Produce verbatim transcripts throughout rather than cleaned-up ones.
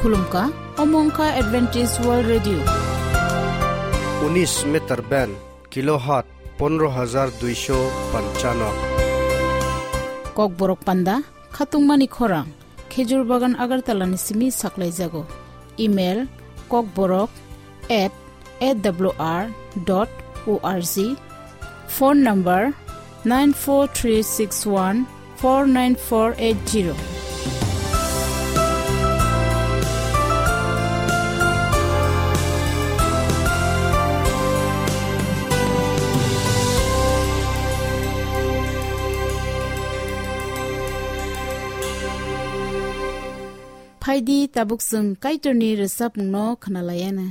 Khulumkha, omo wngkha Adventist World Radio. Unis meter band, kilohertz pondro hajar duisho panchano. Kokborok panda, khatungmani khorang, Khejur Bagan Agartala ni simi saklaijago. Email, kokborok at A W R dot O R G. Phone number nine four three six one four nine four eight zero. Phaidi tabuk chwng Kaitorni rwchapmungno khwnalaiyana.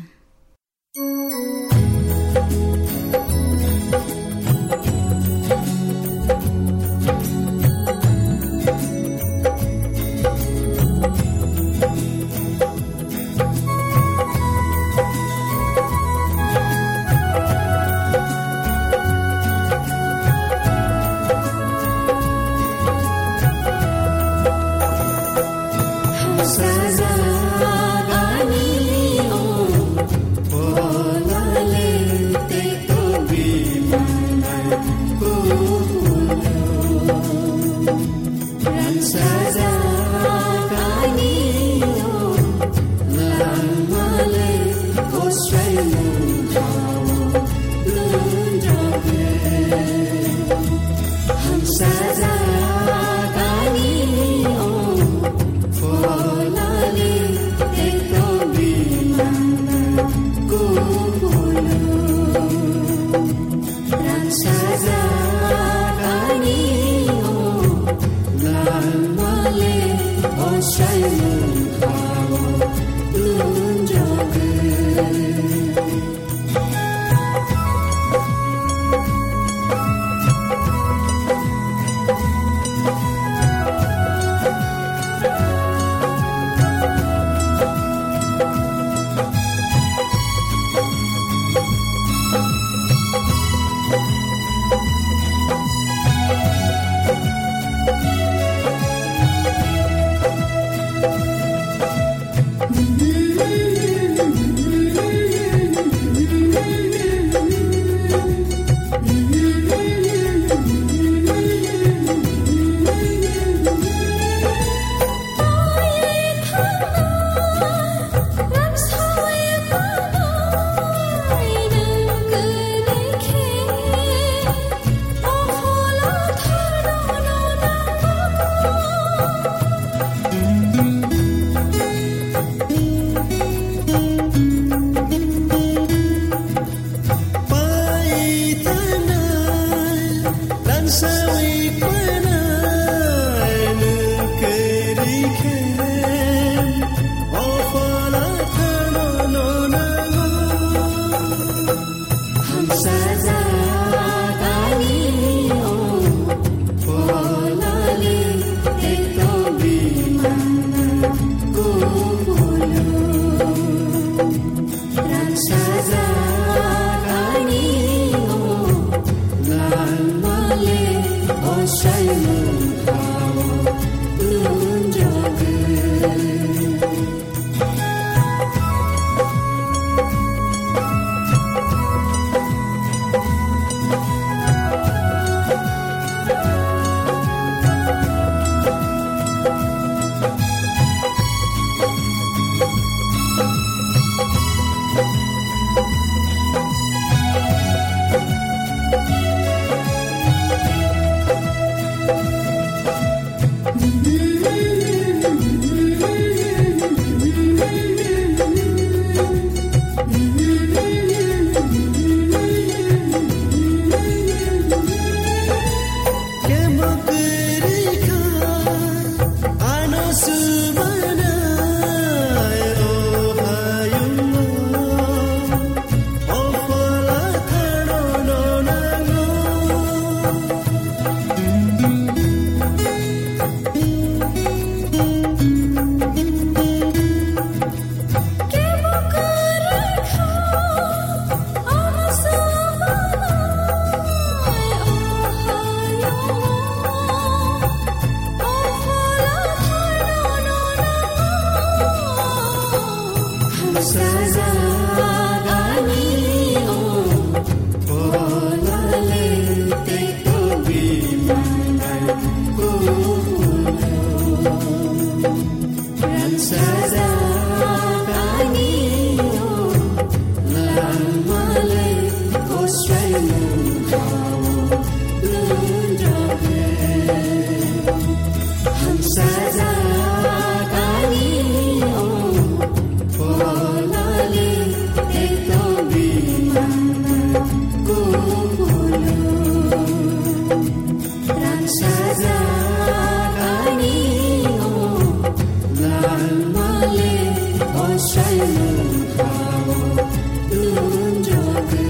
Sajagani o, polale te to bimana kulo. Rang sajagani o, lamale o saimu hao lundroge. Hamsajak ani o, polale ekdom bimana kumpulu. Rangsajak ani o, lamale o saimu hao lundroge.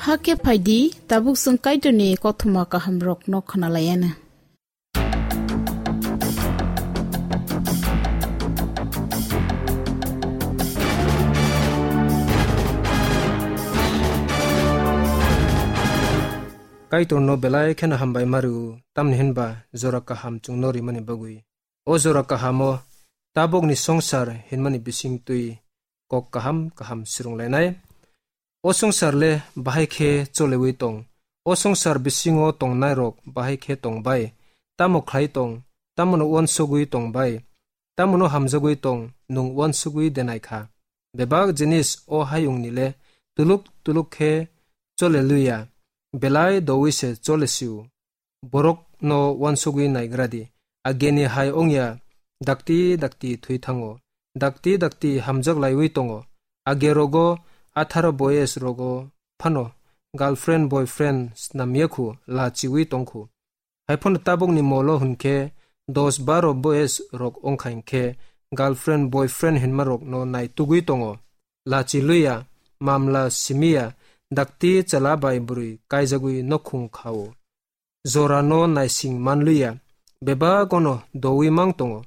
Hakhe phaidi, tabuk chwng Kaitorni kothoma kahamrokno khwnalaianw. Kaitorno belai kheno hambai ma rw-o, tamni hwn ba jora kaham chwngno rimani bagwi. O jora kahamo tabukni songsar hinmani bisingtwi kok kaham kaham swrwnglainai. O songsar le bahai khe cholewi tong? O songsar bisingo tongnairok bahai khe tong bai? Tamo khlai tong? Tamono uansugwi tong bai? Tamono hamjagwi tong? Nwng uansugwi denai kha. Bebak jinis o hayungni le tuluk tuluk khe chole luya, belai dowi se chole sio. Borokno uansugwi naigra di. Ageni hai wngya, dakti dakti thwi thango, dakti dakti hamjak laiwi tongo. Age rogo atharo boyes rogo phano girlfriend boyfriend snamya khu, lachiwi tong khu. Hai phano tabukni molo hwn khe dos baro boyes rok wngkha, hinkhe girlfriend boyfriend hinma rokno naitugwi tongo. Lachi luya, mamla simiya, dakti chwla bai bwrwi kaijagwi nokhung kha-o. Jorano naising man luya, bebagono dowi mang tongo.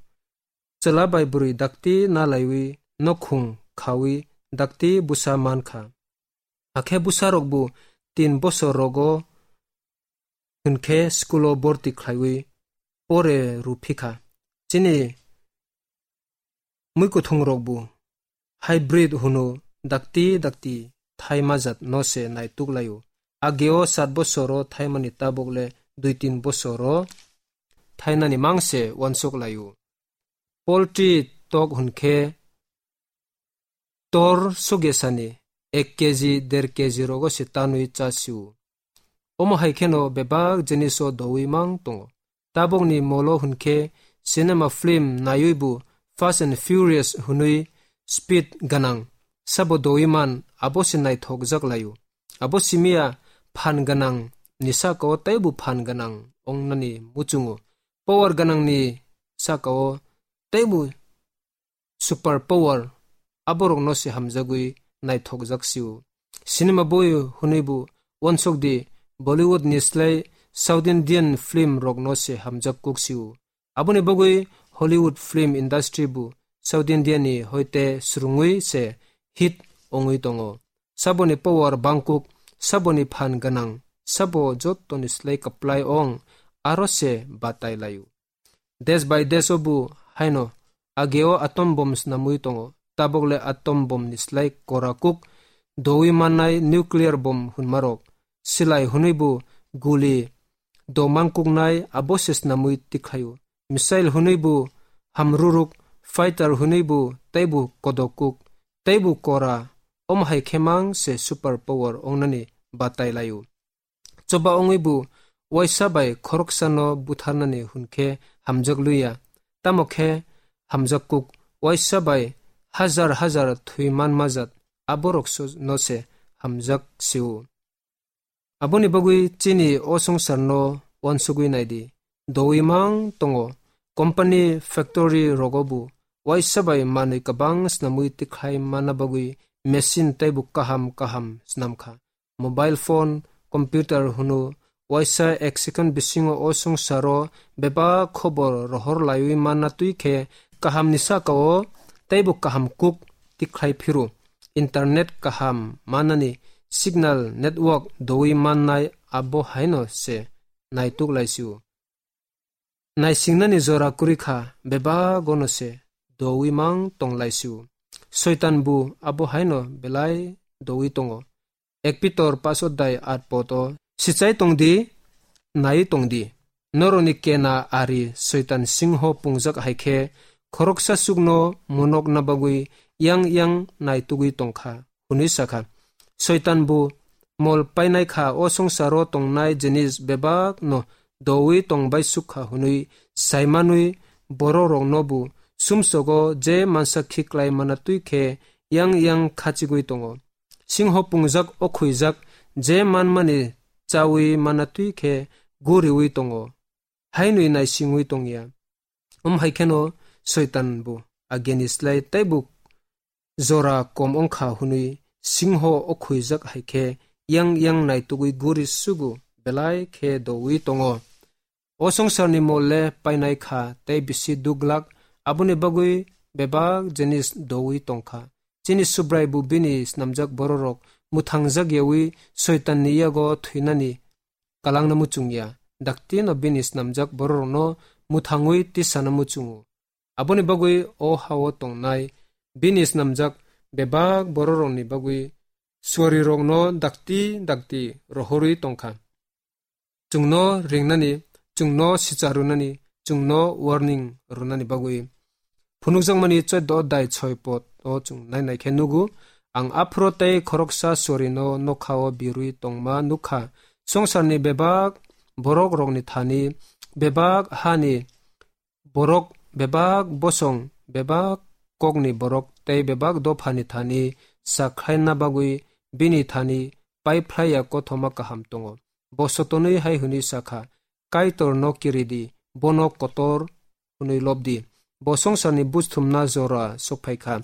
Chwla bai bwrwi dakti nalaiwi nokhung khawi dakti bwsa man kha. Hakhe bwsarokbo tin bosor rogo hwnkhe school-o borti khlaiwi pore rw phi kha. Chini mwkhwthwngrokbo hybrid hwno, dakti dakti thaima jat no se naituk lai-o. Ageo sat bosoro thaimani tabuk le dui tin bosoro thainani mang se uansuk lai-o. Poultry tok hwnkhe tor sugesani ek keji, der keji rogo se tanwi cha sio. Omo hai kheno bebak jiniso dowi mang tongo. Tabukni molo hwnkhe cinema film naiwi bo Fast and Furious hwnwi speed gwnang sabo dowi man, abo se naithokjak lai-o. Abo simiya phan gwnang ni saka-o teibo phan gwnang ongnani muchungo. Power gwnangni saka-o teibo super power, aborokno se hamjagwi naithokjak sio. Cinema boi hwnwi bo uansuk di, Bollywood ni slai South Indian film rokno se hamjak kuk sio. Aboni bagwi Hollywood film industry bo South India ni hoite swrwngwi se hit ongwi tongo. Saboni power bangkuk, saboni phan gwnang, sabo jottoni slai kwplai ong, aro se batai lai-o. Desh bai desh o bo haino ageo atom bomb snamwi tongo. Tabuk le atom bomb ni slai kora kuk dowi mannai nuclear bomb hwnmarok. Silai hwnwi bo guli do mangkuknai abo se snamwi tikhlaio. Missile hwnwi bo hamruruk, fighter hwnwi bo teibo kodok kuk, teibo kora, omo hai khe mang se super power ongnani batai lai-o. Choba wngwi bo waisa bai khoroksano butharnani hwn khe hamjak luya, tamo khe hamjak kuk waisa bai hajar hajar thwi man majat aborok so-, no se hamjak sio. Aboni bagwi chini o songsarno uansugwi nai di. Dowi mang tongo, company, factory rogo bo waisa bai manwi kwbang snamwi tikhlai manna bagwi machine teibo kaham kaham snam kha. Mobile phone, computer hwno waisa ek second bisingo o songsaro bebak khobor rohor laiwi manna twi khe kahamni saka-o teibo kaham kuk tikhlai phiro. Internet kaham manani signal network dowi mannai abo haino se naituk laisio. Naisingnani jora kwrwi kha, bebagono se dowi mang tong laisio. Soitan bo abo haino belai dowi tongo. Ek Pitor pas odai at pot o, sichai tong di, nai tong di. Noroni kena ari Soitan singho pungjak hai khe, khoroksa chukno munokna bagwi yang yang naitugwi tongkha, hwnwi sakha. Soitan bo mol painai kha, o songsaro tongnai jinis bebak no dowi tongbai sukha hwnwi saimanwi bororokno bo sumsogo je mansa khiklai mana twi khe yang yang khachigwi tongo. Singho pungjak o khuijak je manmani chawi mana twi khe guriwi tongo, hainwi naisingwi tongya. Om hai kheno Soitan bo ageni slai teibo jora kom ongkha hwnwi singho o khuijak hai khe yang yang naitugwi guri sugu belai khe dowi tongo. O songsarni mol le painai kha tei bisi duglak, aboni bagwi bebak jinis dowi tongkha. Chini Subrai bo bini snamjak bororok mwthangjak yawi Soitanni yago thwinani kalangna muchungya, dakti no bini snamjak bororokno mwthangwi tisana muchungo. Aboni bagwi o hao tongnai bini snamjak bebak bororokni bagwi suarirokno dakti dakti rohorwi tongkha. Chwngno ringnani, chwngno sicha rwnani, chwngno warning rwnani bagwi. Phunukjakmani chwddo dai choi pot o chwng nai nai khe nugo, ang aphro tei khoroksa sorino nokhao birwi tongma nukha. Songsarni bebak borok rokni thani, bebak hani borok, bebak bosong, bebak kokni borok tei bebak dophani thani sakhlaina bagwi bini thani paiphlaiya kothoma kaham tongo. Bo sotonwi hai hwnwi sakha, "Kaitor no kiridi, bono kotor hwnwi lobdi." Bo songsarni busthumna jora sokphaikha.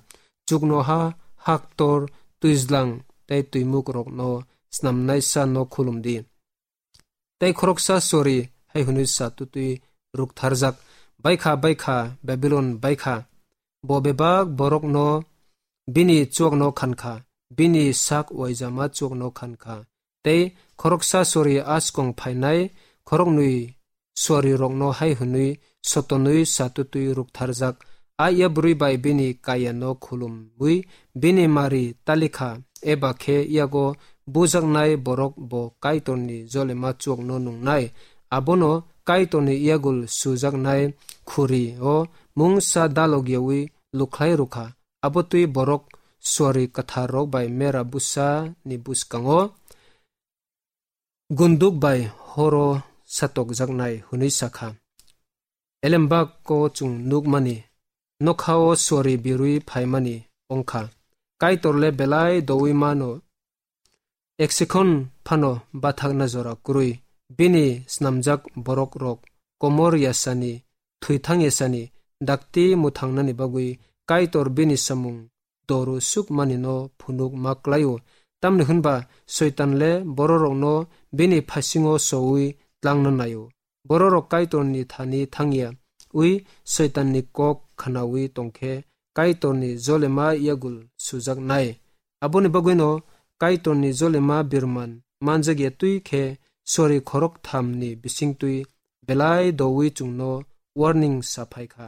Chuknoha, haktor, twijlang tei twimuk rokno snamnaisa no khulumdi. Tei khoroksa sori hai hwnwi sa tutwi ruktharjak, "Baikha, baikha, Babilon baikha! Bo bebak borokno bini chuakno khankha, bini sak uaijama chuakno khankha." Tei khoroksa sori askong phainai khoroknwi sorirokno hai hwnwi sotonwi sa tutwi ruktharjak, "A ya bwrwi bai bini kayano khulumwi bini mari talikha, eba khe yago bujaknai borok bo Kaitorni jolema chuakno nungnai, abono Kaitorni yagul sujaknai khuri-o mungsa dalogyawi lukhlai rwkha." Abo twi borok suari kwtharrok bai mera bwsani bwskango gunduk bai horo satokjaknai hwnwi sakha. Elembak o chwng nukmani, nokhao suari birwi phaimani wngkha. Kaitor le belai dowi mano, eksikhon phano bathakna jora kwrwi. Bini snamjak borok rok komor yasani, thwithang yasani, dakti mwthangnani bagwi Kaitor bini samung doru sukmani no phunuk ma klai-o. Tamni hwnba Soitan le bororokno bini phasingo soui tlangna nai-o. Bororok Kaitorni thani thangya, ui Soitanni kok khnaui tongkhe Kaitorni jolema yagul sujaknai. Aboni bagwino Kaitorni jolema birman manjakya twi khe sori khorok thamni bisingtwi belai doui chwngno warning sa phaikha.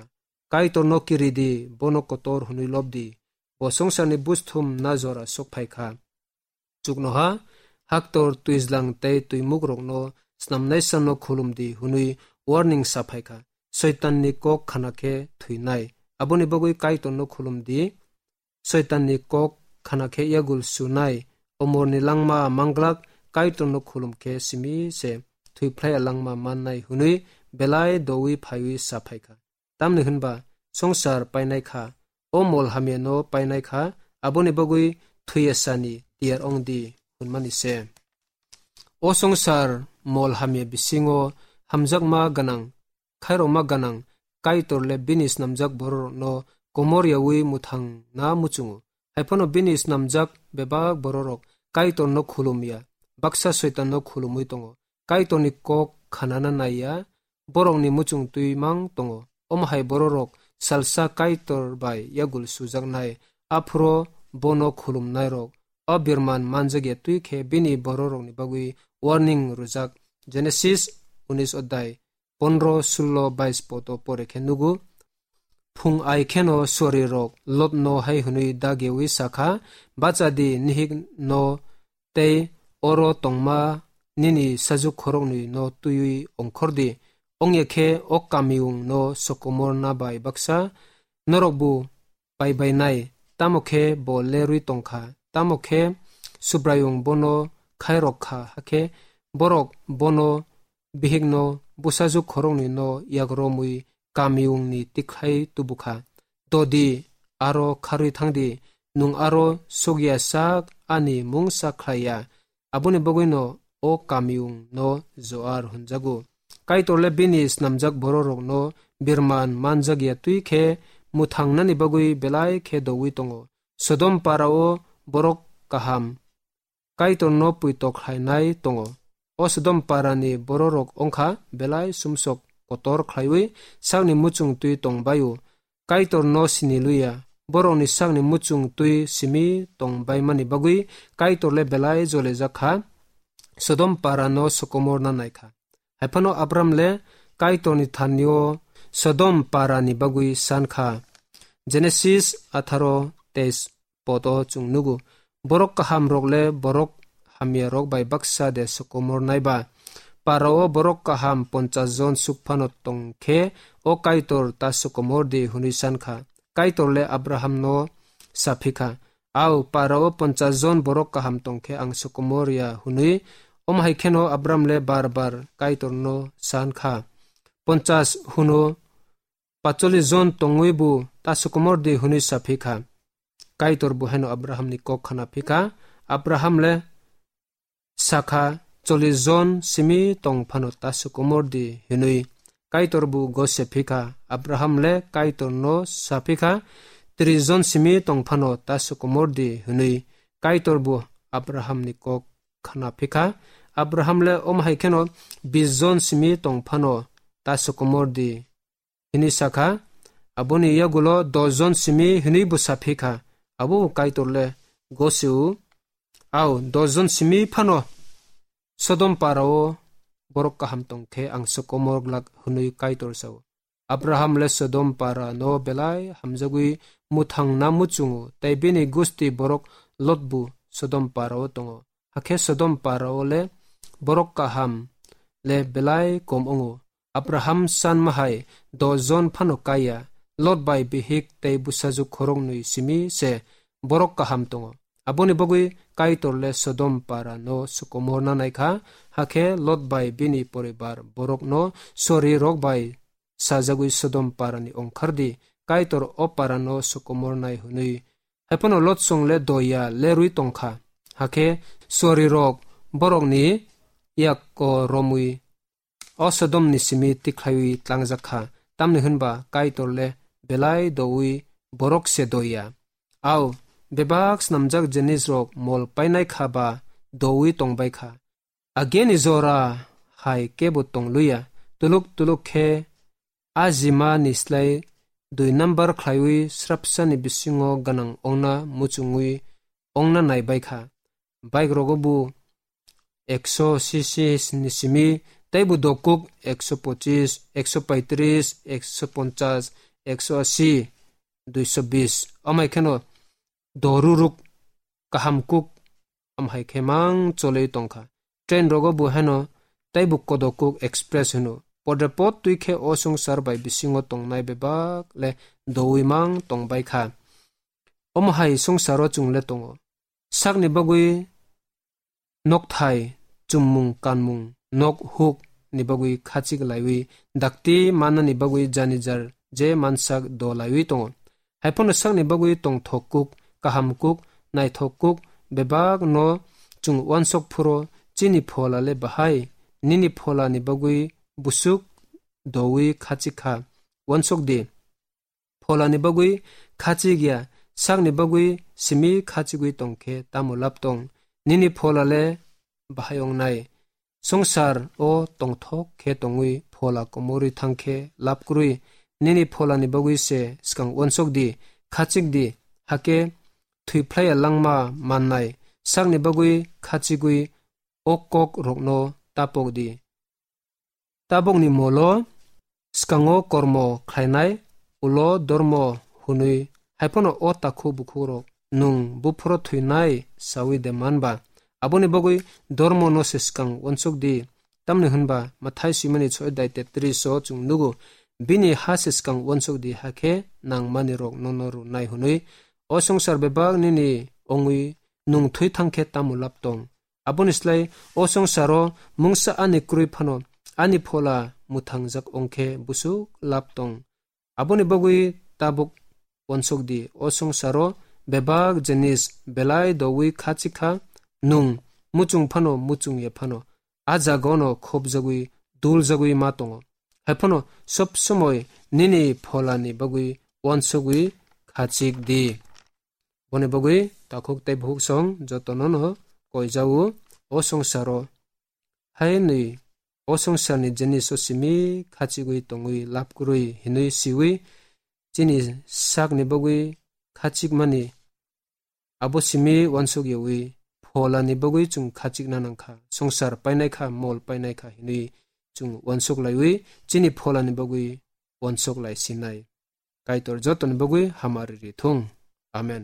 Kaitorno kiridi, bono kotor hwnwi lobdi. Bo songsarni busthum na jora sok phaikha. Chuknoha, haktor, twijlang tei twimukrokno snamnaisano khulumdi hwnwi warning sa phaikha. Soitanni kok khana khe thwinai. Aboni bagwi Kaitorno khulumdi. Soitanni kok khana khe yagul sunai. Omorni langma manglak, Kaitorno khulum khe simi se thwiphlaiya langma mannai hwnwi belai doui phaiwi sa phaikha. Tamni hwnba songsar painai kha, o mol hamyano painai kha, aboni bagwi thwiya sani tiyar ongdi hwnmani se. O songsar mol hamya bisingo hamjakma gwnang, khairokma gwnang Kaitor le bini snamjak bororokno komor yaui mwthangna muchungo. Haiphano bini snamjak bebak bororok Kaitorno khulumya, baksa Soitanno khulumwi tongo. Kaitorni kok khanana naiya, borokni muchung twi mang tongo. Omo hai bororok salsa Kaitor bai yagul sujaknai, aphuru bono khulumnairok o birman manjakya twi khe bini bororokni bagwi warning rwjak. Genesis unis odhyay pondro, sullo, bais poto pore khe nugo. Phung ai kheno suarirok Lotno hai hwnwi dagyawi sa kha, "Bacha di, nihik no tei oro tongma nini sajuk khoroknwi no twiwi ongkhor di, wngya khe o kamiyung no sokomor na bai baksa norok bo pai bai nai, tamo khe bo lerwi tong kha, tamo khe Subraiyung bono khairok kha, hakhe borok bono bihikno bwsajwk khoroknwi no yak romwi kamiyungni tikhlai tubu kha. Dodi, aro kharwi thang di, nwng aro sokya sak ani mungsa khlai ya." Aboni bagwino o kamiyung no Zoar hwnjago. Kaitor le bini snamjak bororokno birman manjakya twi khe mwthangnani bagwi belai khe doui tongo. Sodom para-o borok kaham Kaitorno puito khlainai tongo. O Sodom parani bororok wngkha belai sumsok kotor khlaiwi sakni muchung twi tong bai-o. Kaitorno sini luya. Borokni sakni muchung twi simi tong baimani bagwi Kaitor le belai jolijak kha, Sodom parano sokomorna nai kha. Hai phano Abram le Kaitorni thanio Sodom parani bagwi san kha. Genesis atharo teis poto chwng nugo. Borok kahamrok le borok hamyarok bai baksa de sokomor nai ba? Parao borok kaham ponchas jon suk phano tong khe o Kaitor ta sokomor di hwnwi san kha. Kaitor le Abrahamno sa phi kha, "Au, parao ponchas jon borok kaham tong khe ang sokomor ya," hwnwi. Omo hai kheno Abram le bar bar Kaitorno san kha. Ponchas hwno pacholish jon tongwi bo ta sokomor di hwnwi sa phi kha. Kaitor bo haino Abrahamni kok khna phi kha. Abraham le sa kha, "Cholish jon simi tong phano ta sokomor di," hwnwi. Kaitor bo gose phi kha. Abraham le Kaitorno sa phi kha, "Trish jon simi tong phano ta sokomor di," hwnwi. Kaitor bo Abrahamni kok khna phi kha. Abraham le omo hai kheno bish jon simi tong phano ta sokomor di hwnwi sa kha. Aboni yagulo dos jon simi hwnwi bo sa phi kha. Abo Kaitor le gose o. Au, dos jon simi phano Sodom parao borok kaham tong khe ang sokomor glak hwnwi Kaitor sa-o. Abraham le Sodom parano belai hamjagwi mwthangna muchungo, tei bini gusti borok Lot bo Sodom parao tongo. Hakhe Sodom parao le borok kaham le belai kom wngo. Abraham san mahai dos jon phano kaiya, Lot bai bihik tei bwsajwk khoroknwi simi se borok kaham tongo. Aboni bagwi Kaitor le Sodom parano sokomorna nai kha, hakhe Lot bai bini poribar borokno sori rok bai sajagwi Sodom parani ongkhar di, Kaitor o parano sokomor nai hwnwi. Hai phano Lot song le doya lerwi tong kha, hakhe sori rok borokni yak ko romwi o Sodomni simi tikhlaiwi tlangjak kha, tamni hwnba Kaitor le belai doui borok se doya. Au, bebak snamjak jinisrok mol painai kha ba doui tong bai kha. Ageni jora hai kebo tong luya, tuluk tuluk khe a jima ni slai dui number khlaiwi srapsa ni bisingo gwnang ongna muchungwi ongna nai bai kha. Bike rogo bo ekso C C ni simi, tei bo dokuk ekso pochis, ekso paitris, ekso ponchas, ekso asi, duiso bis. Amai kheno doruruk kaham kuk, amhai khe mang cholwi tong kha. Train rogo bo heno tei bo kodokuk express hwno. Podre pod twi khe o swngchar bai bisingo tongnai bebak le doui mang tong bai kha. Omo hai swngcharo chwng le tongo. Sakni bagwi nokthai, chummung, kanmung, nok huk ni bagwi khachik laiwi, dakti mannani bagwi jani jar je mansak do laiwi tongo. Hai phano sakni bagwi tongthok kuk, kaham kuk, naithok kuk, bebak no chwng uansok phuro, chini phola le bahai, nini phola ni bagwi busuk doui khachik kha, uansok di. Pholani bagwi khachik ya, sakni bagwi simi khachigwi tong khe tamo lab tong? Nini phola le bahai wngnai. Swngchar o tongthok khe tongwi phola komorwi thang khe lab kwrwi. Nini pholani bagwi se swkang uansok di, khachik di, hakhe thwi phlaiya langma mannai. sakni bagwi khachigwi o kok rokno tapok di. Tabokni molo, swkango kormo khlainai, ulo dormo hwnwi, hai phano o takhuk bukhukrok nwng buphuro thwinai saui de man ba? Aboni bagwi dormono se swkang uansuk di, tamni hwn ba Mathai swimani soi dai tetris o chwng nugo, bini ha se swkang uansuk di, hakhe nangmani rok nono rwnai hwnwi. O swngchar bebak nini wngwi nwng thwi thang khe tamo lab tong? Aboni slai o swngcharo mungsa ani kwrwi phano ani phola mwthangjak wng khe busuk lab tong. Aboni bagwi tabuk uansuk di, o swngcharo bebak jinis belai doui khachik kha, nwng muchung phano muchung ya phano, a jagano khopjagwi duljagwi ma tongo. Hai phano sob somoi nini pholani bagwi uansugwi khachik di. Boni bagwi takhuk tei bukhuk song jotono no koijao, o swngcharo hai nwi o swngcharni jinis o simi khachigwi tongwi lab kwrwi hinwi siwi chini sakni bagwi khachikmani abo simi uansuk yaui pholani bagwi chwng khachikna nang kha, swngchar painai kha, mol painai kha hinwi chwng uansuk laiwi chini pholani bagwi uansuk lai sinai. Kaitor jotoni bagwi hamari ri thung. Amen.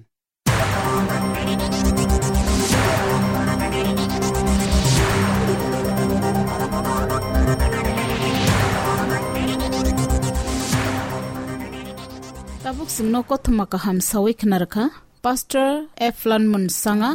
Tabuk chwngno kothoma kaham sawi khna rwkha Pastor Eflan Munsanga.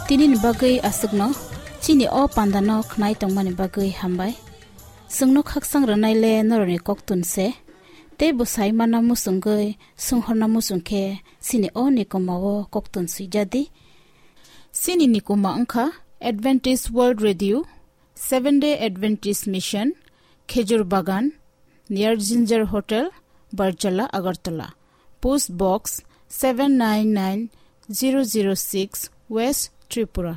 Tinini bagwi aswkno, chini o pandano khnai tongmani bagwi hambai. Chwngno khaksang rwnai le norokni koktun se, tei bwsai mana muchungwi swnghorna muchung khe chini o nikoma o koktun swijadi. Chini nikoma wngkha Adventist World Radio, Seventh Day Adventist Mission, Khejur Bagan, near Ginger Hotel, Barjala, Agartala. Post Box seven nine nine zero zero six, West Tripura.